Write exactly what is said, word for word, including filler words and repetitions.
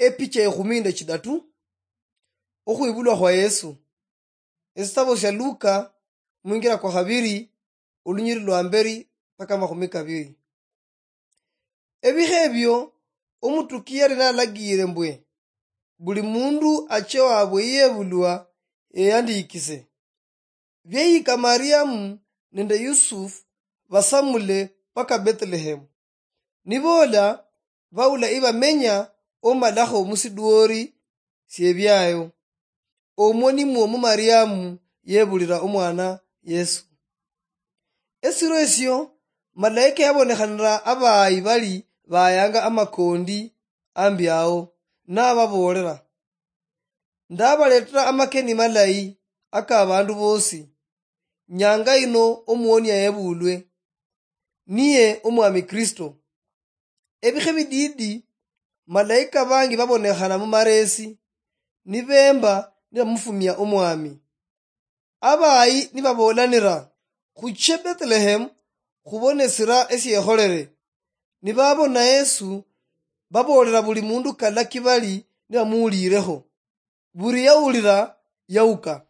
Epicha ekhumi nende chidatu. Okhwibulwa khwa Yesu. Esitabo sia Luka, mwingira kwa khabiri, olunyiri lwa mberi mpaka makhumi kabiri. Ebikha ebio, omutuki yali nalagiire mbwe buli mundu ache wabwe yebulwa eyandikise. Byeyika Mariamu nende Yusufu basamule paka Bethlehemu. Niboola, baula ibamenya, omalakho musidwori siebyayo. Omwo nimwo mu Mariamu yebulira omwana Yesu. Esiro esio, malaika yabonekhanira abayi bali bayanga amakondi ambi ao, nababoolera, "Ndabaletera amakeni malayi aka abandu bosi. Nyanga ino omuonia yebulwe, niye Omwami Kristo." Ebikhe bidiidi, malaika bangi babonekhana mu mareesi, nibemba nibamufumia Omwami. Abayi nibaboolanira, "Khuche Bethlehemu khubone esira esiekholere." Nibabona Yesu, baboolera buli mundu kalaki bali nibamuwuliirekho. Buri yawulira, yawuka.